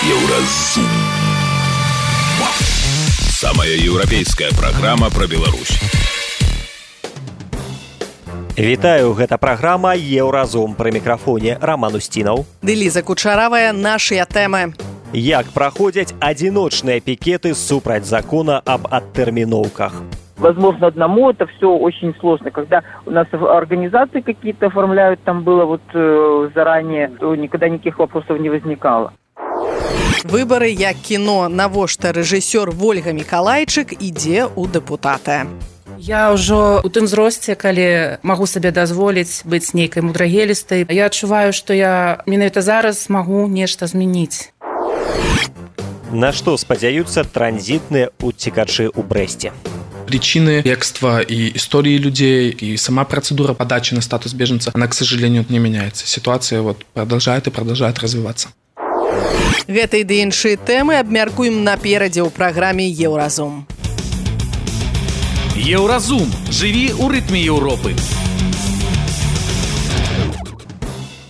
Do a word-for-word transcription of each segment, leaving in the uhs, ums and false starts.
Еўразум. Самая еўрапейская праграма пра Беларусь. Вітаю, гэта праграма «Еўразум». Пры мікрафоне Роман Устінаў. Ды Ліза Кучаравая, нашыя тэмы. Як праходзяць адзіночныя пікеты супраць закона об адтэрміноўках? Возможно, одному это все очень сложно. Когда у нас организации какие-то оформляют, там было вот э, заранее, то никогда никаких вопросов не возникало. Выборы як кіно. Навошта рэжысёр Вольга Мікалайчык ідзе ў дэпутаты? Я ўжо у тым зросце, калі магу сабе дазволіць быць нейкай мудрагелістай. Я адчуваю, што я менавіта зараз магу нешта змяніць. На што спадзяюцца транзітныя уцекачы ў Брэсце? Причины бегства и истории людей, и сама процедура подачи на статус беженца, она, к сожалению, не меняется. Ситуация вот продолжает и продолжает развиваться. Гэтай ды іншыя тэмы абмяркуем наперадзе ў праграме «Еўразум». Еўразум. Жыві ў рытме Еўропы.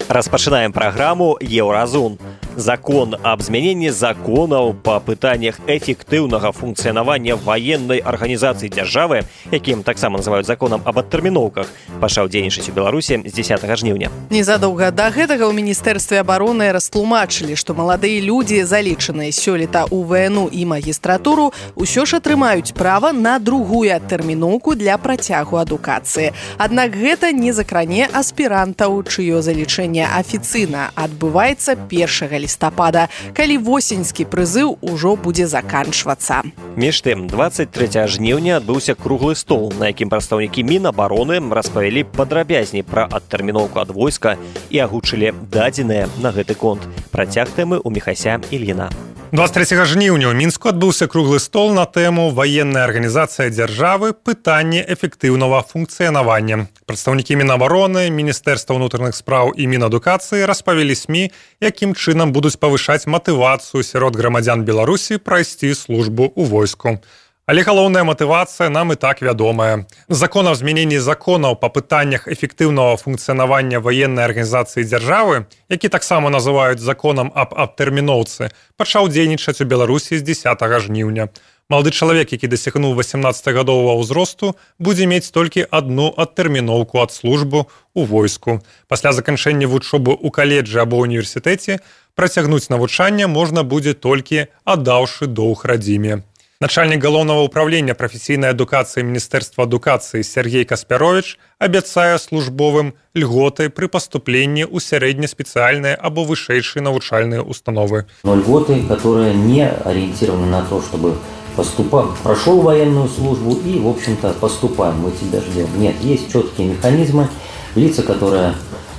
Распачынаем праграму «Еўразум». Закон об змяненні законаў па пытаннях эфектыўнага функцыянавання ваеннай арганізацыі дзяржавы, якім таксама называюць законам об адтэрміноўках, пачаў дзейнічаць у Беларусі з дзесятага жніўня. Незадоўга да гэтага ў Міністэрстве абароны растлумачылі, што маладыя людзі, залічаныя сёлета ў ВНУ і магістратуру, усё ж атрымаюць права на другую адтэрміноўку для працягу адукацыі. Аднак гэта не закране аспірантаў, чыё залічэнне афіцыйна адбываецца першага лістапада, калі восеньскі прызыў ужо будзе заканчвацца. Між тым, дваццаць трэцяга жніўня адбыўся круглы стол, на якім прадстаўнікі Мінабароны распавялі падрабязней пра адтэрміноўку ад войска і агучылі дадзеныя на гэты конт. Працяг тэмы ў Міхася Ільіна. дваццаць трэцяга жніўня ў Мінску адбыўся круглы стол на тэму «Ваенная арганізацыя дзяржавы. Пытанне эфектыўнага функцыянавання». Прадстаўнікі Мінабароны, Міністэрства ўнутраных спраў і Мінадукацыі распавялі СМІ, якім чынам будуць павышаць матывацыю сярод грамадзян Беларусі прайсці службу ў войску. Але галоўная матывацыя нам і так вядомая. Закон аб змяненні законаў па пытаннях эфектыўнага функцыянавання ваеннай арганізацыі дзяржавы, які таксама называюць законам аб адтэрміноўцы, пачаў дзейнічаць у Беларусі з дзесятага жніўня. Малады чалавек, які дасягнуў васемнаццацігадовага ўзросту, будзе мець толькі адну адтэрміноўку ад службы ў войску. Пасля заканчэння вучобы ў каледжы або універсітэце працягнуць навучанне можна будзе толькі аддаўшы доўг радзіме. Начальник галоўнага ўправлення прафесійнай адукацыі Міністэрства адукацыі Сергей Каспярович абяцае службовым льготы пры паступленні ў сярэднеспецыяльныя або вышэйшыя навучальныя установы. Но льготы, которые не ориентированы на то, чтобы поступать, прошел военную службу и, в общем-то, поступаем, мы тебя ждем. Нет, есть четкие механизмы, лица, которые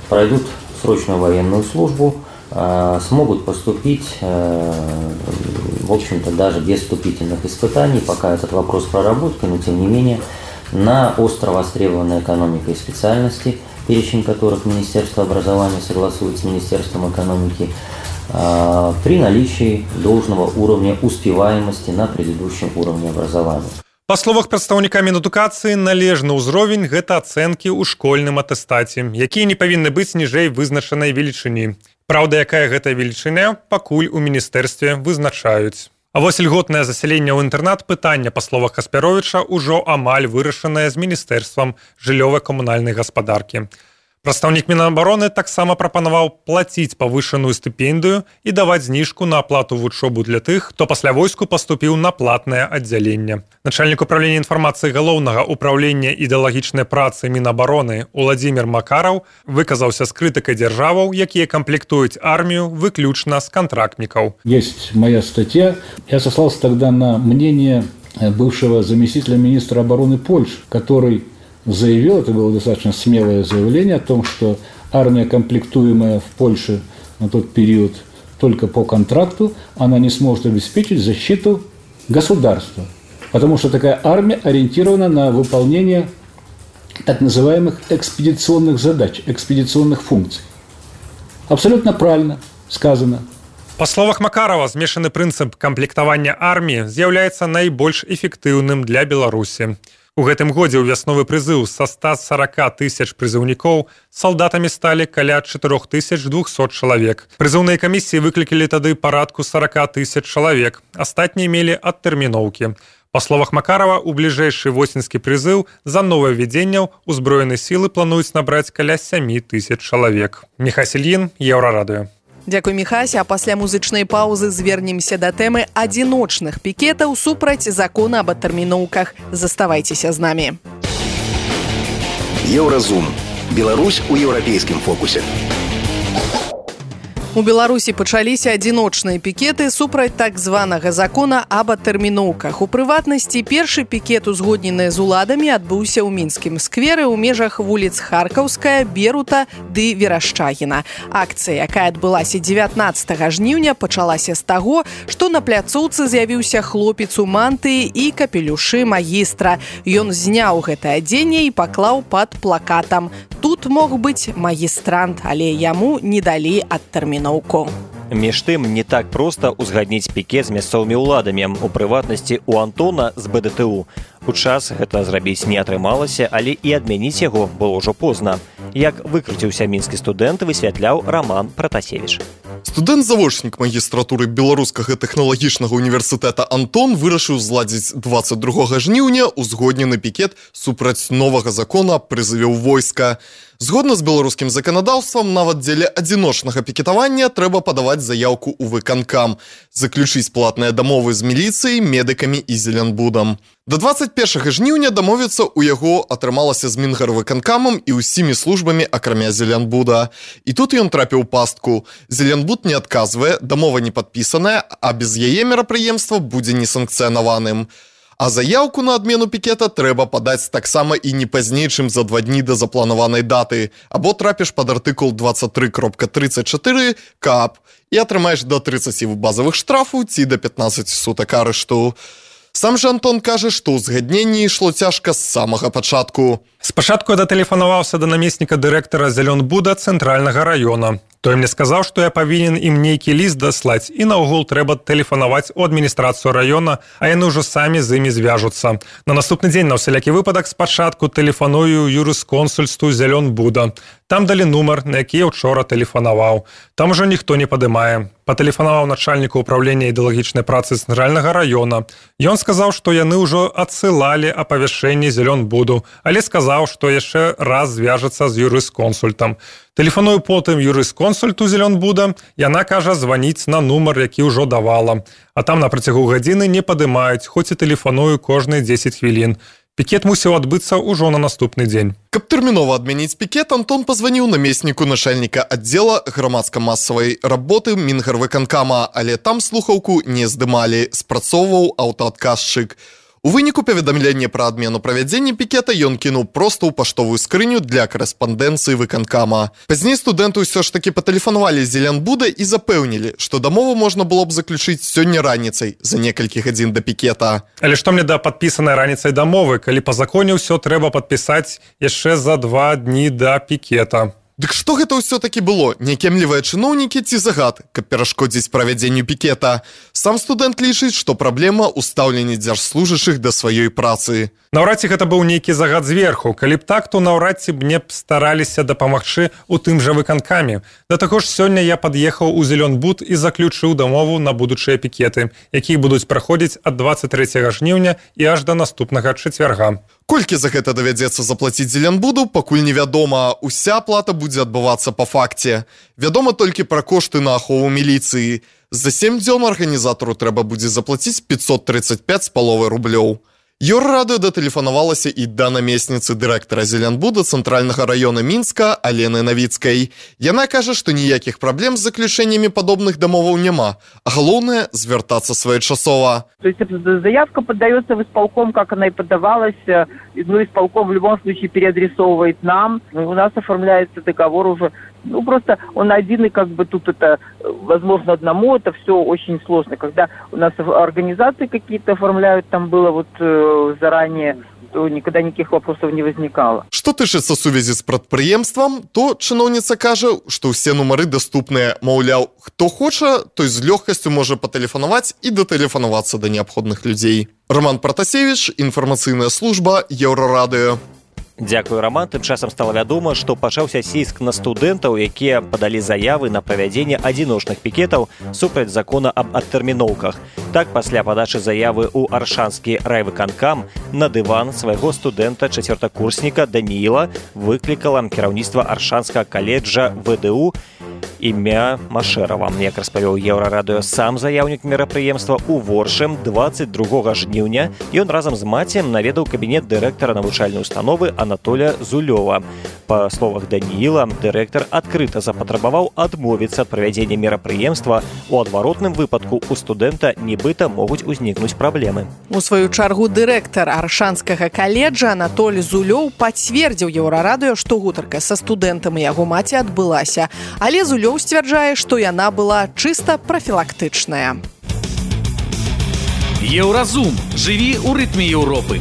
пройдут срочную военную службу, смогут поступить, в общем-то, даже без вступительных испытаний, пока этот вопрос проработки, но тем не менее, на остро востребованной экономикой специальности, перечень которых Министерство образования согласует с Министерством экономики, при наличии должного уровня успеваемости на предыдущем уровне образования. Па словах прадстаўніка Мінадукацыі, належны ўзровень – гэта ацэнкі ў школьным атэстаце, якія не павінны быць ніжэй вызначанай велічыні. Праўда, якая гэта велічыня, пакуль у міністэрстве вызначаюць. А вось льготнае засяленне ў інтэрнат пытання, па словах Каспяровіча, ужо амаль вырашанае з Міністэрствам жыллёва-камунальнай гаспадаркі. Прадстаўнік Мінабароны таксама прапанаваў плаціць павышаную стыпендыю і даваць зніжку на аплату вучобу для тых, хто пасля войску паступіў на платнае аддзяленне. Начальнік управлення інфармацыі галоўнага ўправлення ідэалагічнай працы Мінабароны Уладзімір Макараў выказаўся з крытыкай дзяржаваў, якія камплектуюць армію выключна з контрактнікаў. Есть моя статья. Я сослался тогда на мнение бывшего заместителя министра обороны Польши, который заявил, это было достаточно смелое заявление о том, что армия, комплектуемая в Польше на тот период только по контракту, она не сможет обеспечить защиту государства, потому что такая армия ориентирована на выполнение так называемых экспедиционных задач, экспедиционных функций. Абсолютно правильно сказано. Па словах Макарова, змешаны прынцып камплектавання арміі з'яўляецца найбольш эфектыўным для Беларусі. У гэтым годзе ў вясновы прызыў са ста сорока тысяч прызыўнікоў салдатамі сталі каля чатырох тысяч двухсот чалавек. Прызыўныя камісіі выклікалі тады парадку сорока тысяч чалавек. Астатнія мелі адтэрміноўкі. Па словах Макарова, у бліжэйшы восеньскі прызыў за новаўвядзенняў узброеныя сілы плануюць набраць каля сямі тысяч чалавек. Міхась Ільін, Еўрарадыё. Дзякуй, Міхась, а пасля музычнай паўзы звернемся да тэмы адзіночных пікетаў супраць закона аб адтэрміноўках. Заставайцеся з намі. Еўразум. Беларусь у еўрапейскім фокусе. У Беларусі пачаліся адзіночныя пікеты супраць так званага закона аб адтэрміноўках. У прыватнасці, першы пікет, узгоднены з уладамі, адбыўся ў мінскім скверы ў межах вуліц Харкаўская, Берута ды Верашчагіна. Акцыя, якая адбылася дзевятнаццатага жніўня, пачалася з таго, што на пляцоўцы з'явіўся хлопец у мантыі і капелюшы магістра. Ён зняў гэтае адзенне і паклаў пад плакатам. Тут мог быць магістрант, але яму не далі адтэрміноўку. Між тым, не так проста узгадніць пікет з мясцовымі ўладамі. У прыватнасці, у Антона з бэ дэ тэ у. У час гэта зрабіць не атрымалася, але і адмяніць яго было ўжо позна. Як выкруціўся мінскі студэнт, высвятляў Роман Пратасевіч. Студэнт-завочнік магістратуры Беларускага тэхналагічнага універсітэта Антон вырашыў зладзіць дваццаць другога жніўня узгоднены пікет супраць новага закона аб прызыве ў войска. Згодна з беларускім заканадаўствам, нават дзеля адзіночнага пікетавання трэба падаваць заяўку ў выканкам, заключыць платныя дамовы з міліцыяй, медыкамі і Зеленбудам. Да дваццаць першага жніўня дамовіцца ў яго атрымалася з Мінгарвыканкамам і ўсімі службамі, акрамя Зеленбуда. І тут ён трапіў у пастку. Зеленбуд не адказвае, дамова не падпісаная, а без яе мерапрыемства будзе несанкцыянаваным. А заяўку на адмену пікета трэба падаць таксама і не пазней, чым за два дні да запланаванай даты, або трапіш пад артыкул двадцать три кропка тридцать четыре КАП і атрымаеш да трыццаці базавых штрафу ці да пятнаццаці сутак арышту. Сам жа Антон кажа, што ўзгадненне ішло цяжка з самага пачатку. Спачатку я датэлефанаваўся да намесніка дырэктара Зеленбуда цэнтральнага раёна. Той мне сказаў, што я павінен ім нейкі ліст даслаць, і наогул трэба тэлефанаваць у адміністрацыю раёна, а яны ўжо самі з імі звяжуцца. На наступны дзень на ўсялякі выпадак спачатку тэлефаную юрысконсульству Зеленбуда. Там далі нумар, на які я ўчора тэлефанаваў. Там ужо ніхто не падымае. Патэлефанаваў начальніку ўправлення ідэалагічнай працы цэнтральнага раёна. Ён сказаў, што яны ўжо адсылалі апавяшчэнне Зеленбуду, але сказаў, што яшчэ раз звяжацца з юрысконсультам. Тэлефаную потым юрысконсульту Зеленбуда, яна кажа званіць на нумар, які ўжо давала. А там на працягу гадзіны не падымаюць, хоць і тэлефаную кожныя дзесяць хвілін. Пікет мусіў адбыцца ўжо на наступны дзень. Каб тэрмінова адмяніць пікет, Антон пазваніў намесніку начальніка аддзела грамадска-масавай работы Мінгарвыканкама, але там слухаўку не здымалі, спрацоўваў аўтаадказчык. У выніку паведамлення пра адмену правядзення пікета ён кінуў проста ў паштовую скрыню для корэспандэнцыі выканкама. Пазней студэнты ўсё ж такі патэлефанавалі Зеленбуда і запэўнілі, што дамову можна было б заключыць сёння раніцай, за некалькі гадзін да пікета. Але што мне да падпісанай раніцай дамовы, калі па законе ўсё трэба падпісаць яшчэ за два дні да пікета? Дык што гэта ўсё-такі было? Някемлівыя чыноўнікі ці загад, каб перашкодзіць правядзенню пікета? Сам студэнт лічыць, што праблема ў стаўленні дзяржслужачых да сваёй працы. Наўрад ці гэта быў нейкі загад зверху. Калі б так, то наўрад ці б мне б стараліся дапамагчы ў тым жа выканкаме. Да таго ж сёння я пад'ехаў у Зеленбуд і заключыў дамову на будучыя пікеты, якія будуць праходзіць ад дваццаць трэцяга жніўня і аж да наступнага чацвярга. Колькі за гэта давядзецца заплаціць Зеленбуду, пакуль невядома. Уся плата будзе адбывацца па факце. Вядома толькі пра кошты на ахову міліцыі. За сем дзён арганізатару трэба будзе заплаціць пятьсот тридцать пять з паловай рублёў. Еўрарадыё датэлефанавалася і да намесніцы дырэктара Зеленбуда цэнтральнага раёна Мінска Алены Навіцкай. Яна кажа, што ніякіх праблем з заключэннямі падобных дамоваў няма, а галоўнае звяртацца своечасова. То есть заявка поддается в исполком, как она и подавалась, ну, исполком в любом случае переадресовывает нам, у нас оформляется договор уже, ну, просто он один, и как бы тут это, возможно, одному, это все очень сложно, когда у нас организации какие-то оформляют, там было вот заранее, что никогда никаких вопросов не возникало. Што тычыцца сувязі з прадпрыемствам, то чыноўніца кажа, што ўсе нумары даступныя. Маўляў, хто хоча, той з лёгкасцю можа патэлефанаваць і датэлефанавацца да неабходных людзей. Роман Пратасевіч, інфармацыйная служба Еўрарадыё. Дзякую, Роман. Тым часам стала вядома, што пачаўся ціск на студэнтаў, якія падалі заявы на правядзенне адзіночных пікетаў супраць закона аб адтэрміноўках. Так, пасля падачы заявы ў Аршанскі райвыканкам на дыван свайго студэнта-чацвёртакурсніка Данііла выклікала кіраўніцтва Аршанскага каледжа ВДУ імя Машэрава. Як распавёў Еўрарадыё сам заяўнік мерапрыемства, у Воршым дваццаць другога жніўня ён разам з маці наведаў кабінет дырэктара навучальнай установы Анатоля Зулёва. Па словах Данііла, дырэктар адкрыта запатрабаваў адмовіцца ад правядзення мерапрыемства. У адваротным выпадку у студэнта нібыта могуць узнікнуць праблемы. У сваю чаргу дырэктар Аршанскага каледжа Анатоль Зулёў пацвердзіў Еўрарадыё, што гутарка са студэнтам і яго маці адбылася. Але Зулёў сцвярджае, што яна была чыста прафілактычная. Еўразум. Жыві ў рытме Еўропы.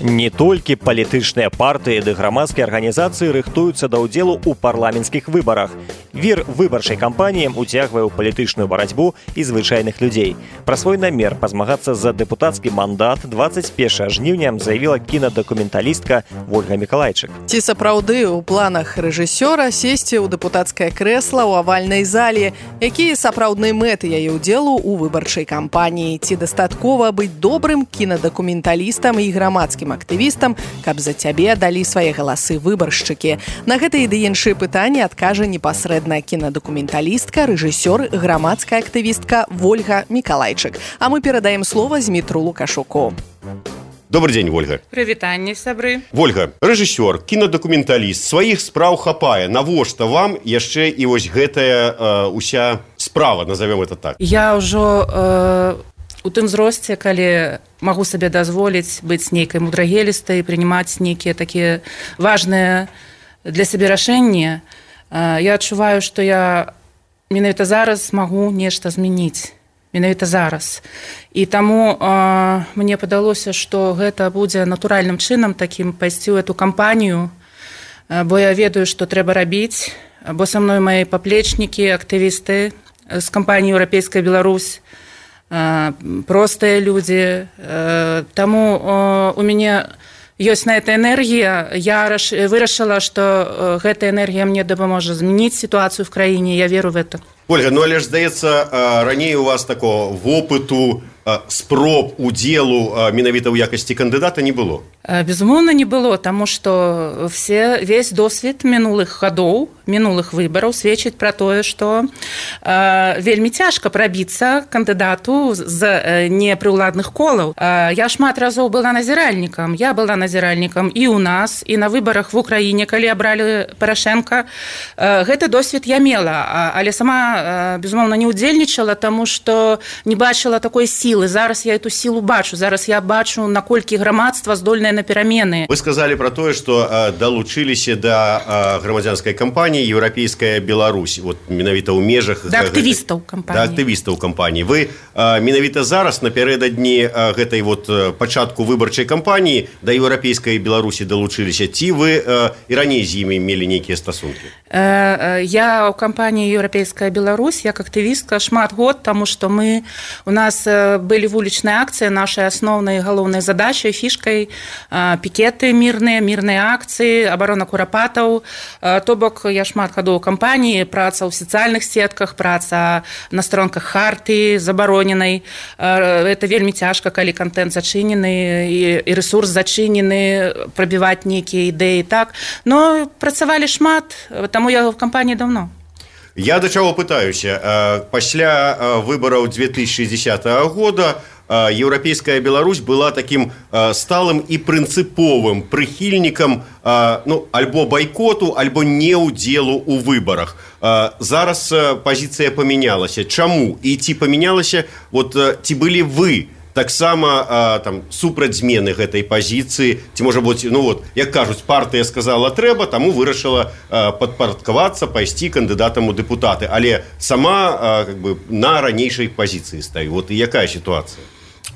Не толькі палітычныя партыі ды грамадскія арганізацыі рыхтуюцца да ўдзелу ў парламенцкіх выбарах. Вір выбарчай кампаніі уцягвае ў палітычную барацьбу і звычайных людзей. Пра свой намер пазмагацца за дэпутацкі мандат дваццаць першага жніўня заявіла кінадакументалістка Вольга Мікалайчык. Ці сапраўды ў планах рэжысёра сесці ў дэпутацкае крэсла ў авальнай зале? Якія сапраўдныя мэты яе ўдзелу ў выбарчай кампаніі? Ці дастаткова быць добрым кінадакументалістам і грамадскім актывістам, каб за цябе далі свае галасы выбаршчыкі? На гэтыя ды іншыя пытанні адкажа непасрэдна кінадакументалістка, рэжысёр, грамадская актывістка Вольга Мікалайчык. А мы перадаем слова Змітру Лукашуку. Добрый день, Вольга. Прывітанне, сябры. Вольга, рэжысёр, кінадакументаліст, сваіх спраў хапае. Навошта вам яшчэ і вось гэтая э, уся справа, назовем это так? Я ўжо э, у тым зросце, калі магу сабе дазволіць быць нейкай мудрагелістай, прынимаць нейкія такія важныя для сябе рашэнні. Я адчуваю, што я менавіта зараз магу нешта змяніць. Менавіта зараз. І таму э, мне падалося, што гэта будзе натуральным чынам такім пайсці ў эту кампанію, бо я ведаю, што трэба рабіць, бо са мной мои паплечнікі, актывісты з кампаніі «Еўрапейская Беларусь», простыя людзі. Таму у мяне ёсць на это энергія. Я вырашыла, што гэтая энергія мне дапаможа змяніць сітуацыю в краіне. Я веру в это. Ольга, ну але ж, здаецца, раней у вас такого вопыту, спроб удзелу менавіта ў якасці кандыдата не было? Безумоўна, не было, таму што все, весь досвед мінулых гадоў, мінулых выбараў сведчыць пра тое, што э, вельмі цяжка прабіцца кандыдату з э, непрыўладных колаў. Э, я шмат разоў была назіральнікам. Я была назіральнікам і ў нас, і на выбарах в Украіне, калі абралі Парашенка. Э, гэты досвед я мела, але сама, э, безумоўна, не ўдзельнічала, таму што не бачыла такой сілы. Зараз я эту сілу бачу. Зараз я бачу, наколькі грамадства здольнае на перамены. Вы сказали про тое, што э, далучыліся да э, грамадзянскай кампаніі «Еўрапейская Беларусь». Вот менавіта ў межах... Да актывістаў кампаніі. Да актывістаў кампаніі. Вы э, менавіта зараз, напярэдадні э, гэтай вот э, пачатку выбарчай кампаніі да «Еўрапейскай Беларусі» далучыліся. Ці вы э, і раней з імі мелі нейкія стасункі? Э, э, я ў кампаніі «Еўрапейская Беларусь» як актывістка шмат год, таму што мы... У нас э, былі вулічныя акцыі, нашай асноўнай галоўнай задачай, фішкай, пікеты мірныя, мірныя акцыі, абарона курапатаў. То бок я шмат гадоў кампаніі, праца ў сацыяльных сетках, праца на старонках хартыі забароненай. Это вельмі цяжка, калі контент зачынены і ресурс зачынены, прабіваць нейкія ідэі, так. Но працавалі шмат, таму я в кампаніі даўно. Я да чаго пытаюся. Пасля выбараў две тысячи десятого года «Еўрапейская Беларусь» была таким сталым і прынцыповым прыхільнікам, ну, альбо байкоту, альбо неўдзелу ў выбарах. Зараз пазіцыя памянялася. Чаму? І ці памянялася, вот, ці былі вы таксама там супраць змены гэтай пазіцыі, ці можа быць, ну вот, як кажуць, партыя сказала трэба, таму вырашыла падпарадкавацца, пайсці кандыдатам у дэпутаты, але сама как бы на ранейшай пазіцыі стаю. Вот і якая сітуацыя?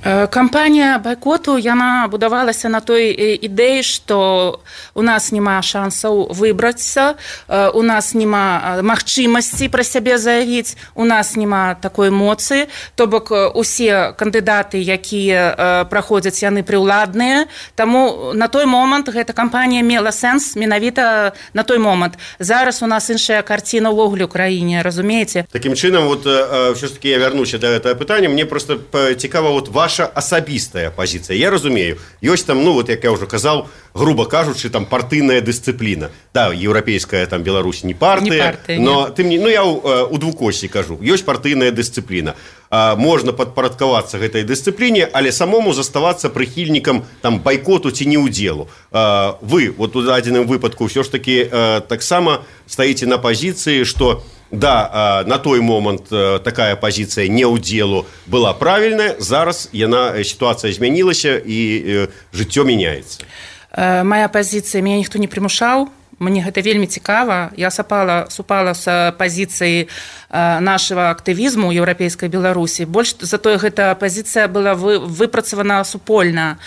Кампанія байкоту, яна будавалася на той ідэі, што у нас няма шансаў выбрацца, у нас няма магчымасці пра сябе заявіць, у нас няма такой моцы, то бок усе кандыдаты, якія праходзяць, яны прыўладныя, таму на той момант гэта кампанія мела сэнс менавіта на той момант. Зараз у нас іншая карціна ўвогуле ў краіне, разумееце? Такім чынам, вот, ўсё ж таки я вярнуся да гэтага пытання, мне просто цікава вот ваша асабістая пазіцыя. Я разумею, ёсць там, ну, вот, як я ўжо казаў, грубо кажучы, там партыйная дысцыпліна. Да, еўрапейская там Беларусь не партыя, не партыя но тым не, ну я ў, у двукосці кажу, ёсць партыйная дысцыпліна. А, можна падпарадкавацца гэтай дысцыпліне, але самому заставацца прыхільнікам там байкоту ці не ўдзелу. А, вы вот у дадзеным выпадку ўсё ж таки а, таксама стаіце на пазіцыі, што да, на той момант такая пазіцыя не ўдзелу была правільная, зараз яна, сітуацыя змянілася і жыццё мяняецца. Мая пазіцыя, мяне ніхто не прымушаў, мне гэта вельмі цікава. Я сапала, супала з пазіцыі нашага актывізму еўрапейскай Беларусі. Больш затое гэта пазіцыя была вы, выпрацавана супольна.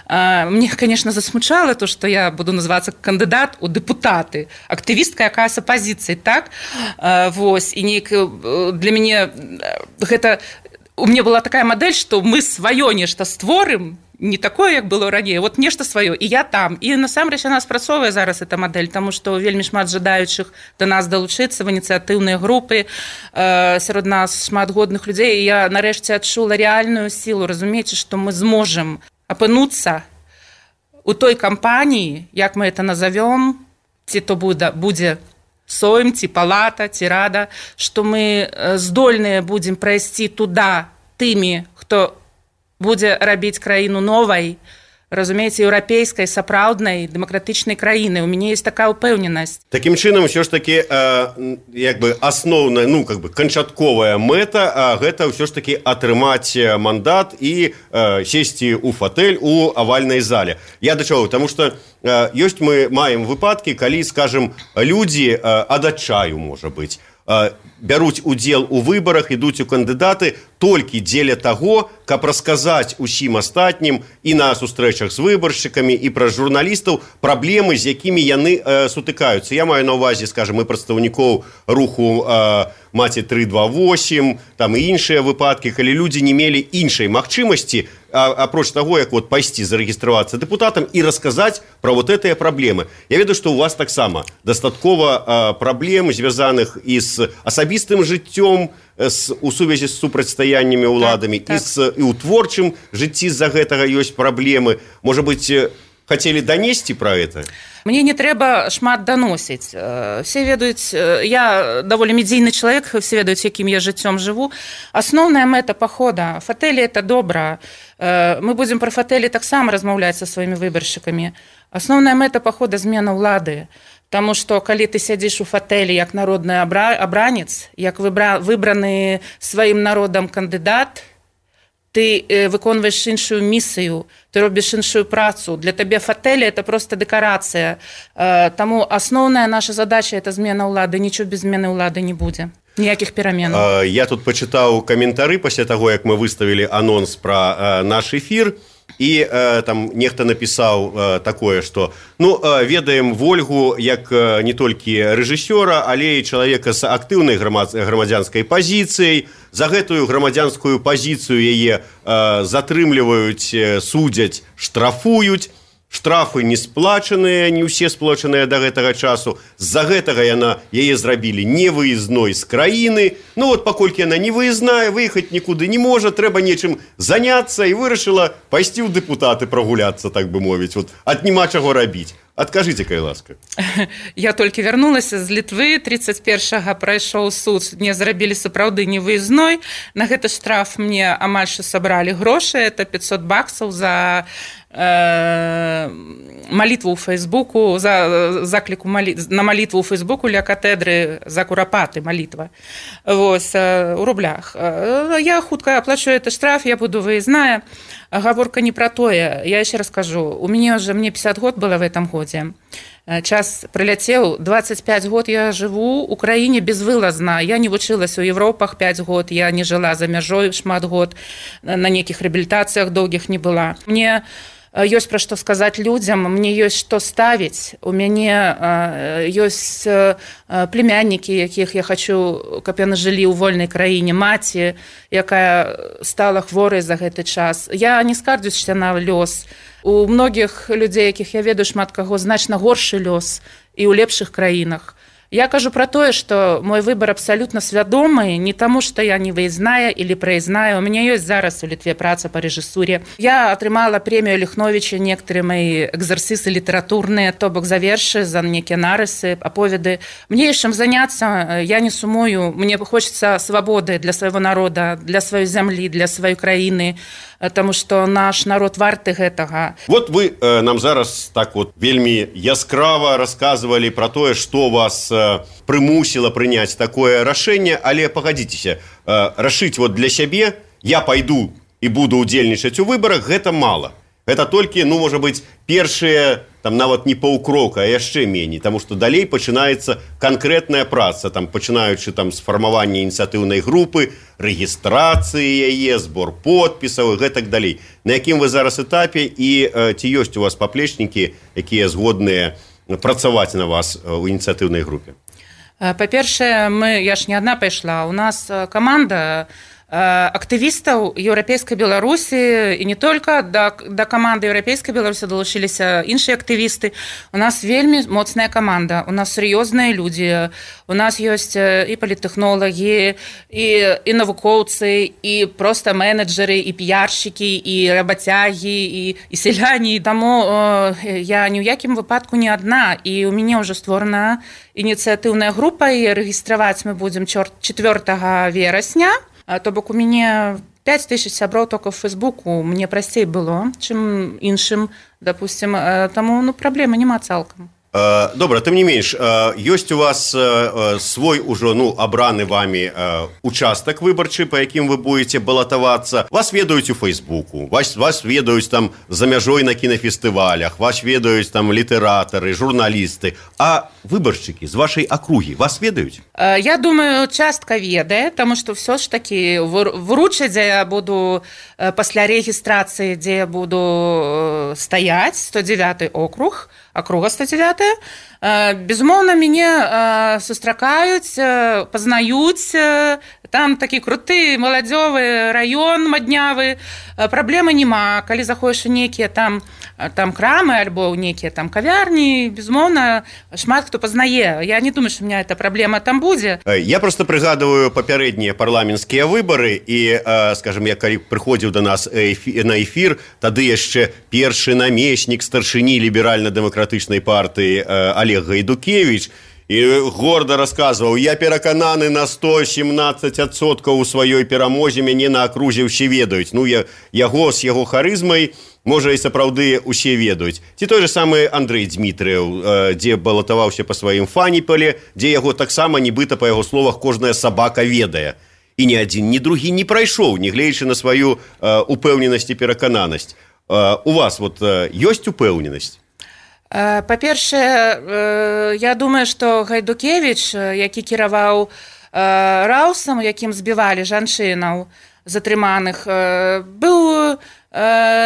Мне, конечно, засмучала то, што я буду называцца кандыдат у дэпутаты. Актывістка, якая з апазіцыяй, так? Вось, і нейк для мяне гэта... У мяне была такая мадэль, што мы сваё нешта створым, не такое, як было раней, вот нешта сваё, і я там. І насамрэч яна спрацоўвае зараз эта мадэль, таму што вельмі шмат жадаючых да нас далучыцца в ініцыятыўныя групы, э, сярод нас шмат годных людзей, і я нарэшце адчула рэальную сілу, разумееце, што мы зможам апынуцца у той кампаніі, як мы это назовём, ці то будзе, будзе сойм, ці палата, ці рада, што мы здольныя будзем прайсці туда тымі, хто будзе рабіць краіну новай, разумееце, еўрапейскай, сапраўднай, дэмакратычнай краіны. У мяне есть такая ўпэўненасць. Такім чынам, ўсё ж таки, э, як бы асноўная, ну, как бы канчатковая мэта, а гэта ўсё ж таки атрымаць мандат і э, сесці ў фатэль у авальнай зале. Я да чаго? Таму што э, ёсць мы маем выпадкі, калі, скажем, людзі э, ад адчаю, можа быць, э, бяруць удзел у выбарах, ідуць у кандыдаты толькі дзеля таго, каб расказаць усім астатнім і на сустрэчах з выбаршчыкамі, і пра журналістаў праблемы, з якімі яны э, сутыкаюцца. Я маю на ўвазе, скажем, і прадстаўнікоў руху э, маці тры два восемь, там і іншыя выпадкі, калі людзі не мелі іншай магчымасці, а, апроч таго, як вот пайсці зарэгістравацца дэпутатам і расказаць пра вот гэтыя праблемы. Я ведаю, што у вас таксама дастаткова э, праблем, звязаных і з асабістым жыццём, с, у сувязі з супрацьстаяннямі ўладамі, так, так. І, з, і ў творчым жыцці з-за гэтага ёсць праблемы. Можа быць, хацелі данесці пра гэта? Мне не трэба шмат даносіць. Все ведаюць, я даволі медійны чалавек, все ведаюць, якім я жыццём жыву. Асноўная мэта пахода, фатэлі это добра. Мы будзем пра фатэлі таксама размаўляць са сваімі выбаршчыкамі. Асноўная мэта пахода змена ўлады. Таму што калі ты сядзіш у фатэлі як народны абранец, як выбраны сваім народам кандыдат, ты выконваеш іншую місію, ты робіш іншую працу. Для табе фатэлі это проста дэкарацыя. Таму асноўная наша задача это змена ўлады, нічого без змены ўлады не будзе. Ніякіх пераменаў. Я тут пачытаў каментары пасля таго, як мы выставілі анонс пра наш эфір. І э, там нехта напісаў э, такое, што ну, э, ведаем Вольгу як э, не толькі рэжысёра, але і чалавека з актыўнай грамадзянскай пазіцыяй. За гэтую грамадзянскую пазіцыю яе э, затрымліваюць, э, судзяць, штрафуюць. Штрафы не сплачаныя, не ўсе сплачаныя да гэтага часу. З-за гэтага яна яе зрабілі невыездной з краіны. Ну вот паколькі яна не выездная, выехаць нікуды не можа, трэба нечым заняцца, і вырашыла пайсці ў дэпутаты прагуляцца, так бы мовіць. Вот, ад няма чаго рабіць. Адкажыце, кай ласка. Я толькі вярнулася з Літвы, тридцать першага прайшоў суд, мне зрабілі сапраўды невыездной. На гэты штраф мне амаль што сабралі грошы, это пятьсот баксаў за э, малітву ў Фейсбуку, за закліку малі... на малітву ў Фейсбуку ля катедры за курапаты малітва. Вось, э, у рублях. Э, я хутка аплачу этот штраф, я буду выездная. Гаворка не про тое. Я еще раз скажу, у меня уже, мне пятьдесят год было в этом годе. час прыляцеў. двадцать пять год я жыву ў краіне безвылазна. Я не вучылася ў Европах пять год, я не жыла за мяжой шмат год, на нейкіх рэабілітацыях доўгіх не была. Мне ёсць пра што сказаць людзям, мне ёсць што ставіць. У мяне ёсць племяннікі, якіх я хачу, каб яны жылі ў вольнай краіне, маці, якая стала хворай за гэты час. Я не скардзюся на лёс. У многіх людзей, якіх я ведаю, шмат каго, значна горшы лёс і ў лепшых краінах. Я кажу про тое, што мой выбор абсалютна свядомы, не таму, што я не выездная или проездная. У меня ёсць зараз у Літве праца па рэжысуре. Я атрымала прэмію Ліхновіча, некаторыя мои экзерсісы літаратурныя, то бок за вершы, за некія нарысы, аповеды. Мне ёсць чым заняцца, я не сумую, мне хочется свабоды для свайго народа, для сваёй зямлі, для сваёй краіны, таму што наш народ варты гэтага. Вот вы э, нам зараз так вот вельмі яскрава расказвалі про тое, што вас э, прымусіла прыняць такое рашэнне, але пагадзіцеся, э, рашыць вот для сябе, я пайду і буду ўдзельнічаць у выбарах, гэта мала. Гэта толькі, ну, можа быць, першыя, там нават не паўкрока, а яшчэ меней, таму што далей пачынаецца канкрэтная праца, там пачынаючы там з фармавання ініцыятыўнай групы, рэгістрацыі яе, збор подпісаў і гэтак далей. На якім вы зараз этапе і э, ці ёсць у вас паплечнікі, якія згодныя працаваць на вас у ініцыятыўнай групе? Па-першае, мы, я ж не адна пайшла, у нас каманда актывістаў еўрапейскай Беларусі і не только да, да каманды еўрапейскай Беларусі далучыліся іншыя актывісты. У нас вельмі моцная каманда, у нас сур'ёзныя людзі, у нас ёсць і паліттэхнолагі, і, і навукоўцы, і проста менеджеры, і піяршчыкі, і рабацягі, і, і сяляне. Таму э, я ні ў якім выпадку не адна, і у мяне ўжо створана ініцыятыўная група, і рэгістраваць мы будзем чацвёртага верасня. То бок у мяне пять тысяч сяброў только в Фейсбуку, мне прасцей было, чым іншым, допустим, таму ну, праблемы няма цалкам. Добра, тым не менш, ёсць у вас свой ужо ну, абраны вами участак выбарчы, па якім вы будете балатавацца. Вас ведаюць у Фейсбуку, вас, вас ведаюць там за мяжой на кінафестывалях, вас ведаюць там літаратары, журналісты. А выбаршчыкі з вашай акругі вас ведаюць? Я думаю, частка ведае, таму што ўсё ж такі вручаць, дзе я буду пасля рэгістрацыі, дзе я буду стаяць, сто дзевяты округ, акруга сто дзевяты. Безумоўна, мяне сустракаюць, пазнаюць, там такі круты маладзёвы раён маднявы, праблемы няма. Калі заходзіш у нейкія там, там крамы альбо ў нейкія там кавярні, безумоўна, шмат хто пазнае. Я не думаю, што у меня эта праблема там будзе. Я просто прыгадываю папярэднія парламенцкія выбары і, скажем, я калі прыходзіў до нас на эфір, тады яшчэ першы намеснік старшыні ліберальна-дэмакратычнай партыі Олег Гайдукевич і горда расказваў: я перакананы на сто семнадцать адсоткаў у сваёй перамозе, мяне на акрузе ўсе ведаюць. Ну, я, яго з яго харызмай, можа, і сапраўды усе ведаюць. Ці той же самы Андрэй Дзмітрыеў, дзе балатаваўся па сваім фаніпале, дзе яго таксама, нібыта, па яго словах, кожная сабака ведае. І ні адзін, ні другі не прайшоў, нягледзячы на сваю упэўненасць і перакананасць. У вас вот ёсць упэўненасць? Па-першае, я думаю, што Гайдукевич, які кіраваў раусам, якім збівалі жанчынаў затрыманых, быў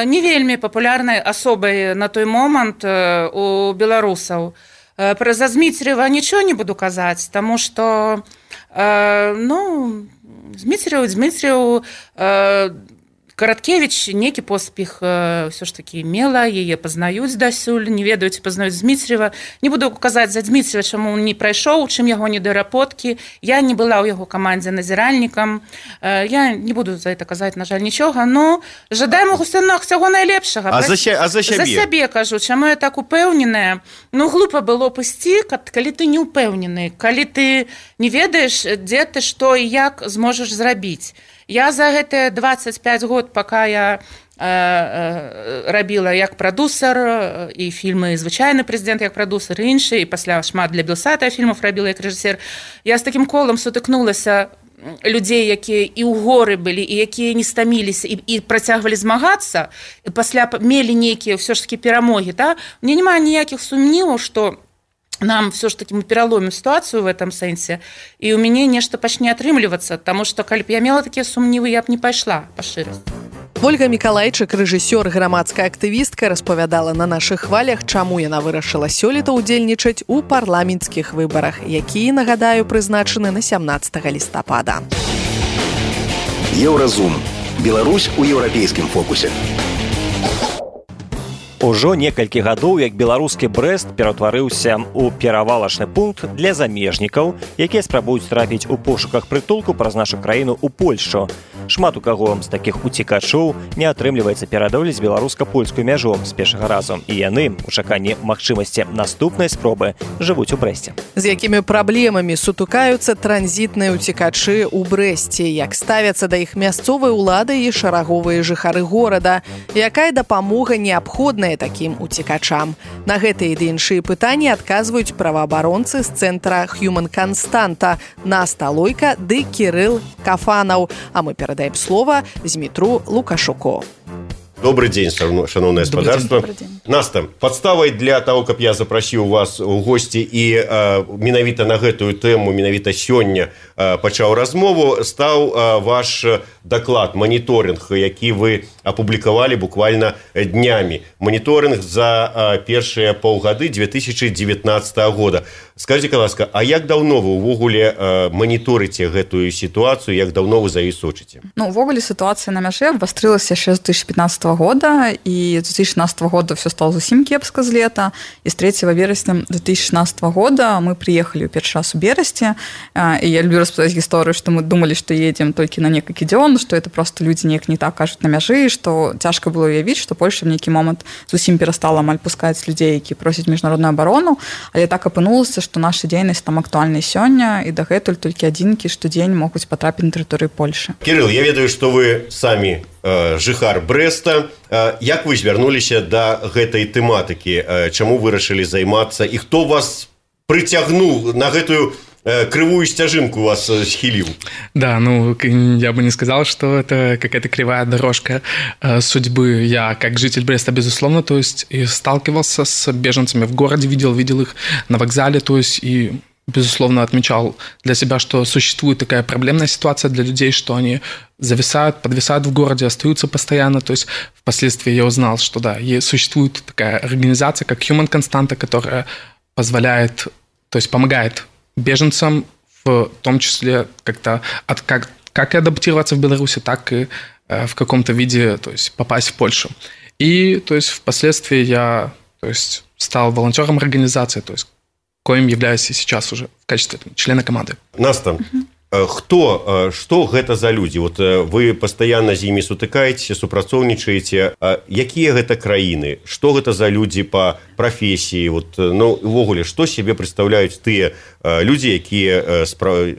не вельмі папулярнай асобай на той момант у беларусаў. Пра за Зміцерєва нічого не буду казаць, таму што ну, Зміцерєў, Зміцерєў, Караткевич нейкі поспех ўсё ж такі мела, яе пазнаюць дасюль, не ведаюць, пазнаюць Зміцерєва. Не буду казаць за Зміцерєва, чаму он не прайшоў, чым яго недорапоткі. Я не была ў яго камандзе назіральнікам. Я не буду за это казаць, на жаль, нічога, но жадаем усё ўсяго найлепшага. А за, ся, а за сябе? За сябе кажу, чаму я так упэўненая. Ну, глупа было б ісці, калі ты не упэўнены, калі ты не ведаеш, дзе ты, што і як зможаш зрабіць. Я за гэтыя двадцать пять год, пока я э, э, рабіла як прадусер і фільмы «Звычайны прэзідэнт» як прадусер, і іншыя, і пасля шмат для Белсата фільмаў рабіла як рэжысер, я з такім колам сутыкнулася людзей, якія і ў горы былі, і якія не стаміліся, і, і працягвалі змагацца, і пасля мелі нейкія ўсё ж такі перамогі. Да? Мне няма ніякіх сумніваў, што нам все ж таки мы пераломім сітуацыю в этом сэнсе, і ў мяне нешта пачне атрымлівацца, таму што калі б я мела такія сумнівы, я б не пайшла па шчырасці. Ольга Мікалайчык, рэжысёр, грамадская актывістка, распавядала на нашых хвалях, чаму яна вырашыла сёлета ўдзельнічаць у парламенцкіх выбарах, якія, нагадаю, прызначаны на сямнаццатага лістапада. Еўразум. Беларусь у еўрапейскім фокусе. Ужо некалькі гадоў, як беларускі Брэст ператварыўся ў перавалачны пункт для замежнікаў, якія спрабуюць трапіць у пошуках прытулку праз нашу краіну ў Польшчу. Шмат у каго з такіх уцікачоў не атрымліваецца пераадолець беларуска-польскую мяжу з першага разу, і яны, у чаканні магчымасці наступнай спробы, жывуць у Брэсце. З якімі праблемамі сутыкаюцца транзітныя уцікачы ў Брэсце, як ставяцца да іх мясцовай улады і шараговыя жыхары горада, якая дапамога неабходная такім уцікачам. На гэтыя і іншыя пытанні адказваюць праваабаронцы з цэнтра Human Константа Наста Лойка ды Кірыл Кафанаў, а мы перадаем слова Змітру Лукашуку. Добрый день, шановное господарство. Наста, подставой для того, каб я запрасіў вас у госці і э, менавіта на гэтую тэму, менавіта сёння э, пачаў размову, стаў э, ваш даклад, моніторинг, які вы апублікавалі буквально днямі. Моніторинг за э, першыя паўгады две тысячи девятнадцатого года. Скажите, ласка, а як даўно вы увогуле э, моніторыце гэтую сітуацыю, як даўно вы за ёй сочыце? Ну, увогуле сітуацыя на мяжы абвастрылася яшчэ з две тысячи пятнадцатого года, і з две тысячи шестнадцатого года все стало зусім кепска з лета, і з третьего вересня две тысячи шестнадцатого года мы приехали ў першы раз у Берасці, і я люблю распавядаць гісторыю, што мы думалі, што едзем толькі на некалькі дзён, што это просто людзі неяк не так кажуць на мяжы, што цяжка было уявіць, што Польша в нейкі момант зусім перастала амаль пускаць людзей, які просяць міжнародную абарону, але так апынулася, што наша дзейнасць там актуальна сёння, і дагэтуль толькі адзінкі штодзень могуць патрапіць на тэрыторыю Польшы. Кірыл, я ведаю, што вы самі э, жыхар Брэста. Э, як вы звярнуліся да гэтай тэматыкі? Э, чаму вырашылі займацца? І хто вас прыцягнуў на гэтую кривую стяжинку вас схилил? Да, ну, я бы не сказал, что это какая-то кривая дорожка э, судьбы. Я, как житель Бреста, безусловно, то есть и сталкивался с беженцами в городе, видел, видел их на вокзале, то есть и, безусловно, отмечал для себя, что существует такая проблемная ситуация для людей, что они зависают, подвисают в городе, остаются постоянно. То есть впоследствии я узнал, что да, существует такая организация, как Human Константа, которая позволяет, то есть помогает беженцам, в том числе как-то от, как, как и адаптироваться в Беларуси, так и э, в каком-то виде, то есть попасть в Польшу. И то есть впоследствии я, то есть, стал волонтером организации, то есть коим являюсь и сейчас уже в качестве члена команды. Наста, хто, што гэта за людзі? Вот вы пастаянна з імі сутыкаецеся, супрацоўнічаеце. Якія гэта краіны? Што гэта за людзі па прафесіі? Вот, ну, увогуле, што сябе прадстаўляюць тыя людзі, якія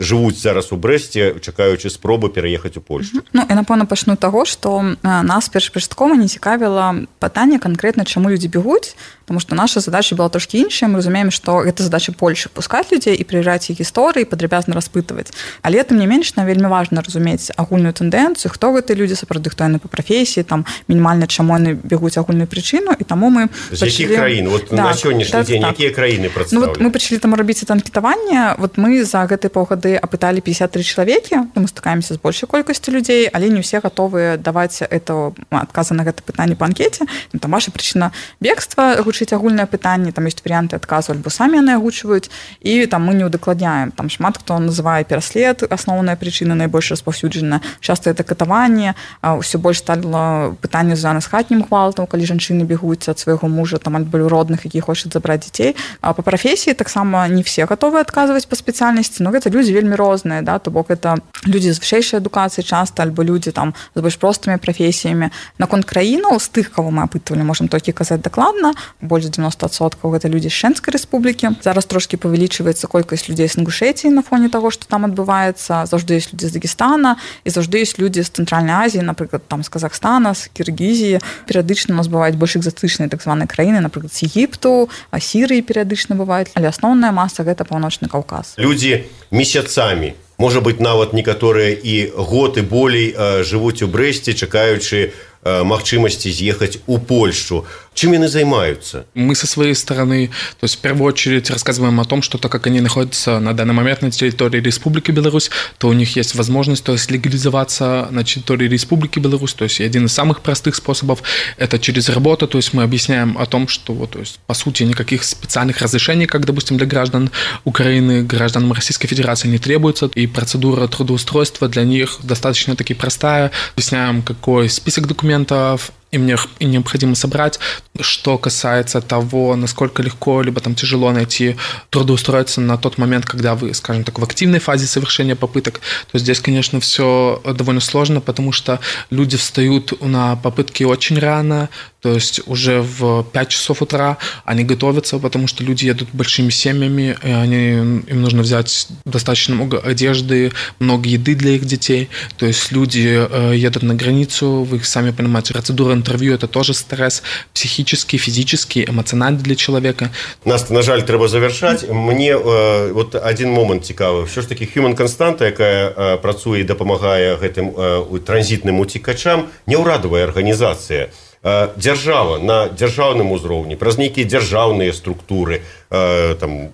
жывуць зараз у Брэсце, чакаючы спробы пераехаць у Польшу? Ну, я, напэўна, пачну таго, што нас першапачаткова не цікавіла пытанне канкрэтна, чаму людзі бегуць, потому что наша задача была трошки іншая. Мы разумеем, што гэта задача Польшы пускаць людзей і прыязджаць іх гісторыі, падрабязна распытваць. Але тым не менш, нам вельмі важна разумець агульную тэндэнцыю, хто гэты людзі, сапраўды, хто яны па прафесіі, там мінімальна чаму яны бегуць агульную прычыну, і таму мы з якіх краін? Вот да, на сённяшні дзень так. Якія краіны прадстаўлены? Ну, вот мы пачалі там рабіць анкетаванне. Вот мы за гэтыя паўгады апыталі пятьдесят три чалавекі, мы стыкаемся з большай колькасцю людзей, але не ўсе гатовыя даваць это адказы на гэта пытанне па анкеце. Ну, там ваша прычына бегства, гучыць агульнае пытанне, там ёсць варыянты адказу, альбо самі яны агучваюць, і там мы не ўдакладняем. Там шмат хто называе пераслед, асноўная прычына найбольш распаўсюджаная. Часта это катаванне, ўсё больш стала пытанне звязана з хатнім гвалтам, калі жанчыны бегуць ад свайго мужа, там альбо родных, які хочуць забраць дзяцей. А па прафесіі таксама не все гатовы адказваць па спецыяльнасці, но гэта людзі вельмі розныя, да, то бок это людзі з вышэйшай адукацыі часта, альбо людзі там з больш простымі прафесіямі. Наконт краінаў, з тых, каго мы апытвалі, можам толькі казаць дакладна, больш за девяносто процентов гэта людзі з Шэнскай рэспублікі. Зараз трошкі павялічваецца колькасць людзей з Інгушэтіі на фоне таго, што там адбываецца. Заўжды ёсць людзі з Дагестана, і заўжды ёсць людзі з Цэнтральнай Азіі, напрыклад, там з Казахстана, з Кіргізіі. Перыядычна у нас бываюць больш экзатычныя так званыя краіны, напрыклад, з Егіпту, а Сірыі перыядычна бываюць, але асноўная маса гэта Паўночны Каўказ. Людзі месяцамі, можа быць, нават некаторыя і год і болей жывуць у Брэсце, чакаючы магчымасці з'ехаць у Польшчу. Чем они занимаются? Мы со своей стороны, то есть в первую очередь рассказываем о том, что так как они находятся на данный момент на территории Республики Беларусь, то у них есть возможность, то есть легализоваться на территории Республики Беларусь. То есть один из самых простых способов – это через работу. То есть мы объясняем о том, что, то есть, по сути, никаких специальных разрешений, как, допустим, для граждан Украины, гражданам Российской Федерации не требуется. И процедура трудоустройства для них достаточно таки простая. Объясняем, какой список документов им необходимо собрать. Что касается того, насколько легко либо там тяжело найти трудоустроиться на тот момент, когда вы, скажем так, в активной фазе совершения попыток, то здесь, конечно, все довольно сложно, потому что люди встают на попытки очень рано, то есть уже в пять часов утра они готовятся, потому что люди едут большими семьями, и они, им нужно взять достаточно много одежды, много еды для их детей. То есть люди едут на границу, вы сами понимаете, процедура интервью – это тоже стресс психический, физический, эмоциональный для человека. Нас, на жаль, треба завершать. Мне э, вот один момент цікавий. Все ж таки, Human Constant, яка э, працує і допомагає гэтым э, транзитным утікачам, не ўрадавая арганізацыя. Э, дзяржава на дзяржаўным узроўні, праз нейкія дзяржаўныя структуры, э, там,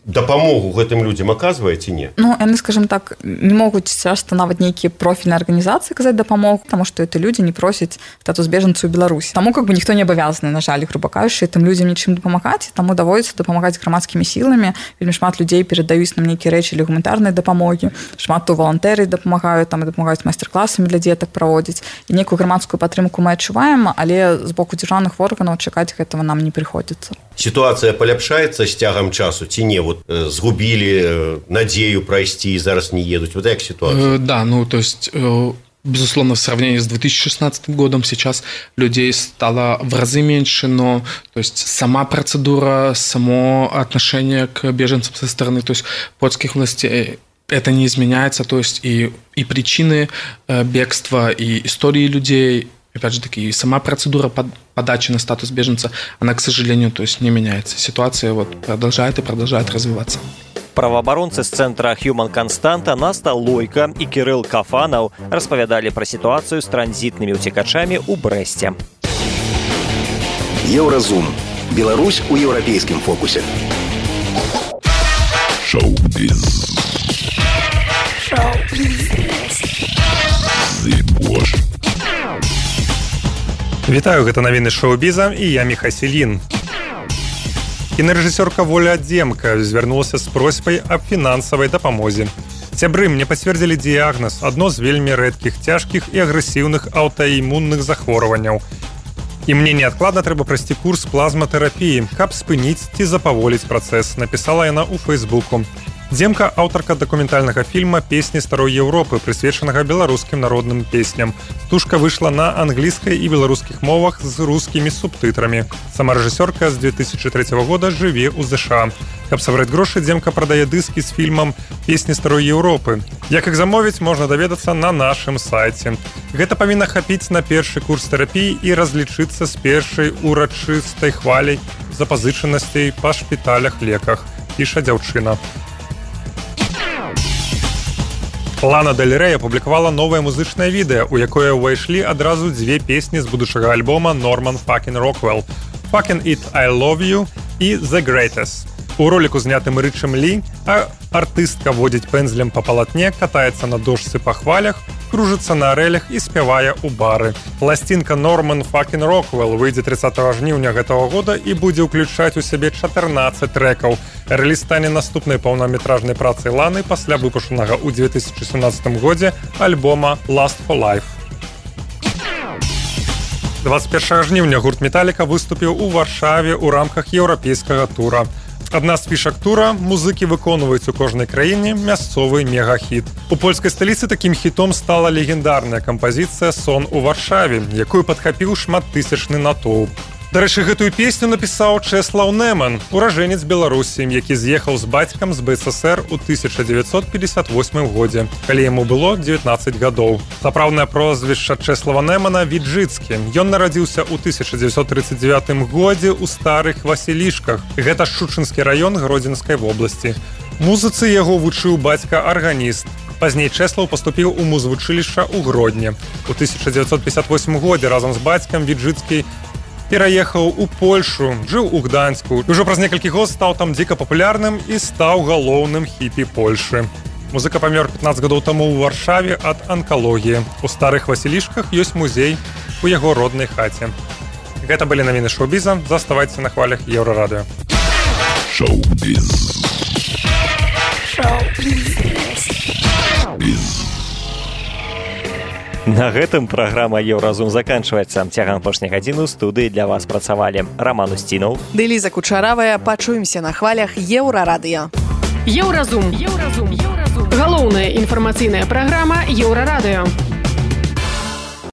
дапамогу гэтым людям аказвае ці не? Ну, яны, скажем так, не могуць часто нават нейкія профільныя арганізацыі казаць дапамогу, потому что это люди не просяць статус бежанцу ў Беларусі. Таму как бы ніхто не абавязаны, на жаль, грубо кажучы, тым людям нічым дапамагаць, таму даводзіцца дапамагаць грамадскімі сіламі. Вельмі шмат людзей перадаюць нам нейкія рэчы для гуманітарнай дапамогі. Шмат то валантэры дапамагаюць, там дапамагаюць майстар-класамі для дзетак праводзіць. І нейкую грамадскую падтрымку мы адчуваем, але з боку дзяржаўных органаў чакаць гэтага нам не прыходзіцца. Ситуация поляпшается с тягом часу, ці не? Вот э, сгубили э, надею пройти и зараз не едут. Вот как ситуация? Э, да, ну то есть, э, безусловно, в сравнении с две тысячи шестнадцатым годом сейчас людей стало в разы меньше, но то есть сама процедура, само отношение к беженцам со стороны, то есть польских властей, это не изменяется, то есть и, и причины э, бегства, и истории людей. Опять же таки, сама процедура подачи на статус беженца, она, к сожалению, то есть не меняется. Ситуация вот продолжает и продолжает развиваться. Правоабаронцы з цэнтра Human Constant Наста Лойка і Кірыл Кафанаў распавядалі пра сітуацыю з транзітнымі ўцекачамі ў Брэсце. Еўразум. Беларусь у еўрапейскім фокусе. Шоу-біз. Шоу-біз. Зыбош. Вітаю, гэта навіны шоу-біза і я Міха Селін. Кінарэжысёрка Воля Адземка звярнулася з просьбай аб фінансавай дапамозе. Сябры, мне пацвердзілі дыягназ, адно з вельмі рэдкіх цяжкіх і агрэсіўных аўтаімунных захворванняў. І мне неадкладна трэба прайсці курс плазматэрапіі, каб спыніць ці запаволіць працэс, напісала яна ў Фэйсбуку. Дземка – аўтарка дакументальнага фільма «Песні старой Еўропы», прысвечанага беларускім народным песням. Стужка выйшла на англійскай і беларускіх мовах з рускімі субтытрамі. Сама рэжысёрка з две тысячи третьего года жыве ў ЗША. Каб сабраць грошы, Дземка прадае дыскі з фільмам «Песні старой Еўропы». Як іх замовіць, можна даведацца на нашым сайце. Гэта павінна хапіць на першы курс тэрапіі і разлічыцца з першай урачыстай хваляй запазычанасцей па шпіталях, леках, піша дзяўчына. Лана Дель Рэй апублікавала новае музычнае відэа, у якое ўвайшлі адразу дзве песні з будучага альбома Norman Fucking Rockwell «Fucking It, I Love You» і «The Greatest». У роліку, знятым Рычам Лі, артыстка водзіць пэндзлем па палатне, катаецца на дошцы па хвалях, кружыцца на арэлях і спявае ў бары. Пласцінка Norman Fucking Rockwell выйдзе тридцатого жніўня гэтага года і будзе ўключаць у сябе чатырнаццаць трэкаў. Рэліз стане наступнай паўнаметражнай працай Ланы пасля выпушанага ў две тысячи семнадцатым годзе альбома «Last for Life». двадцать первого жніўня гурт «Металліка» выступіў у Варшаве ў рамках еўрапейскага тура. Адна з фішак тура – музыкі выконваюць у кожнай краіне мясцовы мегахіт. У польскай сталіцы такім хітом стала легендарная кампазіцыя «Сон у Варшаве», якую падхапіў шматтысячны натоўп. Дарэчы, гэтую песню напісаў Чэслаў Нэман, уражэнец Беларусі, які з'ехаў з бацькам з БССР у тысяча дзевяцьсот пятьдесят восьмым годзе, калі яму было дзевятнаццаць гадоў. Сапраўднае прозвішча Чэслава Нэмана – Віджыцкі. Ён нарадзіўся ў тысяча дзевяцьсот тридцать девятым годзе ў Старых Васілішках. Гэта Шчучынскі раён Гродзенскай вобласці. Музыцы яго вучыў бацька-арганіст. Пазней Чэслаў паступіў у музвучылішча ў Гродні. У тысяча дзевяцьсот пятьдесят восьмым годзе разам з бацькам Віджыцкі Пераехаў у Польшу, жыў у Гданьску. Ужо праз некалькі год стаў там дзіка папулярным і стаў галоўным хіпі Польшы. Музыка памёр пятнаццаць гадоў таму ў Варшаве ад анкалогіі. У старых Васілішках ёсць музей у яго роднай хаце. Гэта былі навіны шоу-біза. Заставайцеся на хвалях Еўрарадыё. Шоу-біз. На гэтым праграма Еўразум заканчваецца. Цягам апошняй гадзіны ў студыі для вас працавалі Раман Усцінаў, Дэліза Кучаравая. Пачуемся на хвалях Еўрарадыё. Еўразум. Еўразум. Галоўная інфармацыйная праграма Еўрарадыё.